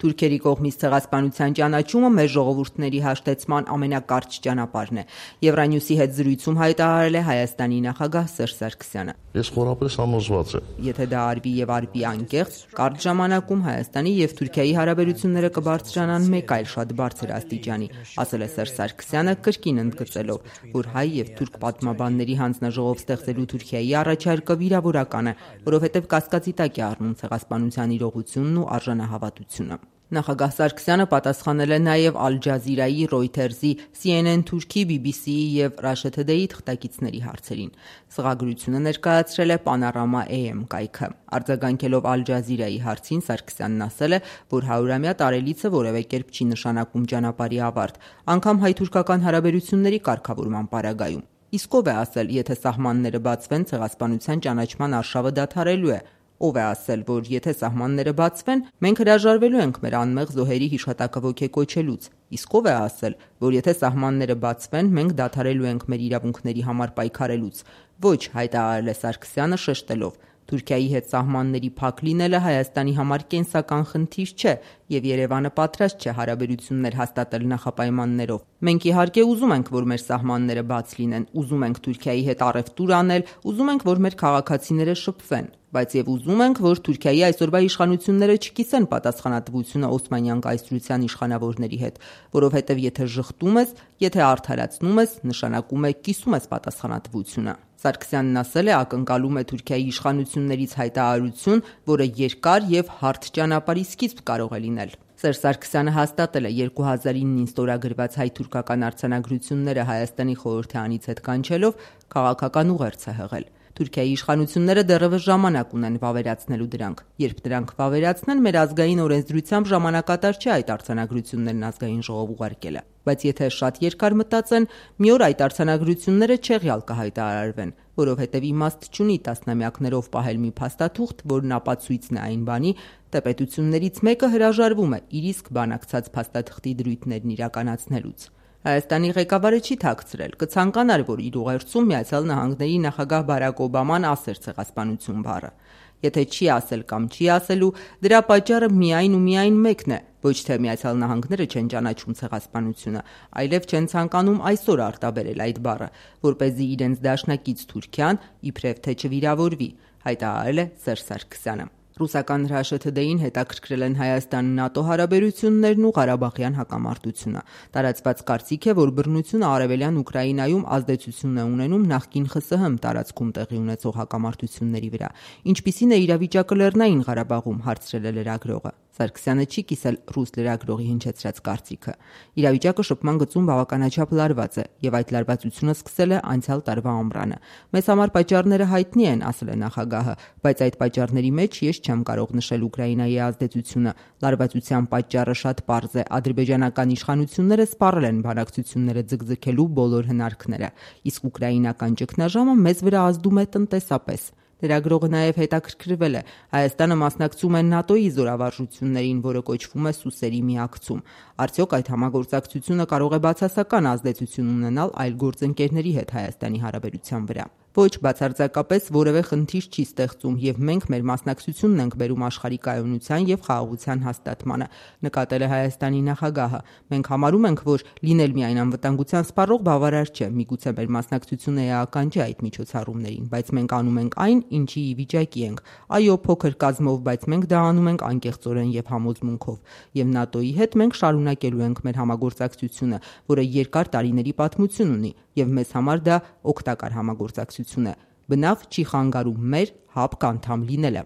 Թուրքերի կողմից ցեղասպանության ճանաչումը մեր ժողովուրդների հաշտեցման ամենակարճ ճանապարհն է։ Եվրանյուսի հետ զրույցում հայտարարել է Հայաստանի նախագահ Սերժ Սարգսյանը։ Ես խորապես համոզված եմ, եթե դա արվի եւ արվի անկեղծ, կարճ ժամանակում Հայաստանի եւ Թուրքիայի հարաբերությունները կբարձրանան մեկ այլ շատ բարձր աստիճանի, ասել է Սերժ Սարգսյանը, կրկին ընդգծելով, որ հայ եւ թուրք պատմաբանների հանձնաժողով ստեղծելու Թուրքիայի առաջարկը վիրավորական է, որովհետեւ կասկածի տակ է առնում ցեղասպանության իրողությունն ու արժանահավատությունը։ Նախագահ Սարգսյանը պատասխանել է նաև Ալ Ջազիրայի, Reuters-ի, CNN Թուրքի, BBC-ի եւ Russia Today-ի թղթակիցների հարցերին։ Սղագրությունը ներկայացրել է Panorama AM կայքը։ Արձագանքելով Ալ Ջազիրայի հարցին Սարգսյանն ասել է, որ 100-ամյա տարելիցը որևէ կերպ չի նշանակում ճանապարհի ավարտ, անգամ հայ-թուրքական հարաբերությունների կարգավորման պարագայում։ Իսկ ով է ասել, եթե սահմանները բացվեն, ցեղասպանության ճանաչման արշավը դադարելու է։ Ով է ասել, որ եթե սահմանները բացվեն, մենք հրաժարվելու ենք մեր անմեղ զոհերի հիշատակը ոգեկոչելուց։ Իսկ ով է ասել, որ եթե սահմանները բացվեն, մենք դադարելու ենք մեր իրավունքների համար պայքարելուց։ Ոչ, հայտարարել է Սարգսյանը շեշտելով. Թուրքիայի հետ սահմանների փակ լինելը Հայաստանի համար կենսական խնդիր չէ, եւ Երևանը պատրաստ չէ հարաբերություններ հաստատել նախապայմաններով։ Մենք իհարկե ուզում ենք, որ մեր սահմանները բաց լինեն, ուզում ենք Թուրքիայի հետ առևտուր անել, ուզում ենք, որ մեր քաղաքացիները շփվեն, բայց եւ ուզում ենք, որ Թուրքիայի այսօրվա իշխանությունները չկիսեն պատասխանատվությունը Օսմանյան կայսրության իշխանավորների հետ, որովհետեւ եթե ժխտում ես, եթե արդարացնում ես, նշանակում է կիսում ես պատասխանատվությունը։ Սարգսյանն ասել է, ակնկալում է Թուրքիայի իշխանություններից հայտարարություն, որը երկար եւ հարթ ճանապարհի սկիզբ կարող է լինել։ Սերժ Սարգսյանը հաստատել է 2009-ին ստորագրված հայ-թուրքական արձանագրությունները Հայաստանի խորհրդի անից հետ կանչելով քաղաքական ուղերձ է հղել։ Թուրքիայի իշխանությունները դեռևս ժամանակ ունեն վավերացնելու դրանք։ Երբ դրանք վավերացնեն, մեր ազգային օրենսդրությամբ ժամանակատար չէ այդ արձանագրություններն ազգային ժողով ուղարկելը։ Բայց եթե շատ երկար մտածեն, մի օր այդ արձանագրությունները չեղյալ կհայտարարվեն, որովհետև իմաստ չունի տասնամյակներով պահել մի փաստաթուղթ, որն ապացույցն է այն բանի, թե պետություններից մեկը հրաժարվում է իր իսկ բանակցած փաստաթղթի դրույթներն իրականացնելուց։ Հայաստանի ղեկավարը չի թաքցրել, կցանկանար, որ իր ուղերձում Միացյալ Նահանգների նախագահ Բարակ Օբաման ասեր ցեղասպանություն բառը։ Եթե չի ասել կամ չի ասելու, դրա պատճառը միայն ու միայն մեկն է, ոչ թե Միացյալ Նահանգները չեն ճանաչում ցեղասպանությունը, այլև չեն ցանկանում այսօր արտաբերել այդ բառը, որպեսզի իրենց դաշնակից Թուրքիան իբրև թե չվիրավորվի, հայտարարել է Սերժ Սարգսյանը։ Ռուսական Russia Today-ին հետաքրքրել են Հայաստան-ՆԱՏՕ հարաբերություններն ու Ղարաբաղյան հակամարտությունը։ Տարածված կարծիք է, որ բռնությունը արևելյան Ուկրաինայում ազդեցություն է ունենում նախկին ԽՍՀՄ տարածքում տեղի ունեցող հակամարտությունների վրա։ Ինչպիսին է իրավիճակը Լեռնային Ղարաբաղում, հարցրել է լրագրողը։ Սարգսյանը չի կիսել ռուս լրագրողի հնչեցրած կարծիքը։ Իրավիճակը շփման գծում բավականաչափ լարված է, եւ այդ լարվածությունը սկսել է անցյալ տարվա ամռանը։ Մեզ համար պատճառները հայտնի են, ասել է նախագահը, բայց այդ պատճառների մեջ ես չեմ կարող նշել Ուկրաինայի ազդեցությունը։ Լարվածության պատճառը շատ պարզ է։ Ադրբեջանական իշխանությունները սպառել են բանակցությունները ձգձգելու բոլոր հնարքները, իսկ ուկրաինական ճգնաժամը մեզ վրա ազդում է տնտեսապես։ Լրագրողը նաև հետաքրքրվել է Հայաստանը մասնակցում է ՆԱՏՕ-ի զորավարժություններին, որը կոչվում է Սուսերի միակցում։ Արդյոք այդ համագործակցությունը կարող է բացասական ազդեցություն ունենալ այլ գործընկերների հետ Հայաստանի հարաբերության վրա։ Ոչ, բացարձակապես որևէ խնդիր չի ստեղծում եւ մենք մեր մասնակցությունն ենք բերում աշխարհի կայունության եւ խաղաղության հաստատմանը, նկատել է Հայաստանի նախագահը։ Մենք համարում ենք, որ լինել միայն անվտանգության սպառող բավարար չէ, միգուցե մեր մասնակցությունը էական չէ այդ միջոցառումներին, բայց մենք անում ենք այն, ինչի ի վիճակի ենք։ Այո, փոքր կազմով, բայց մենք դա անում ենք անկեղծորեն եւ համոզմունքով։ Եվ ՆԱՏՕ-ի հետ մենք շարունակելու ենք մեր համագործակցությունը, որը երկար տարիների պատմություն ունի, եւ մեզ համար դա օգտակար համագործակցություն է։ Բնավ չի խանգարում մեր ՀԱՊԿ անդամ լինելը։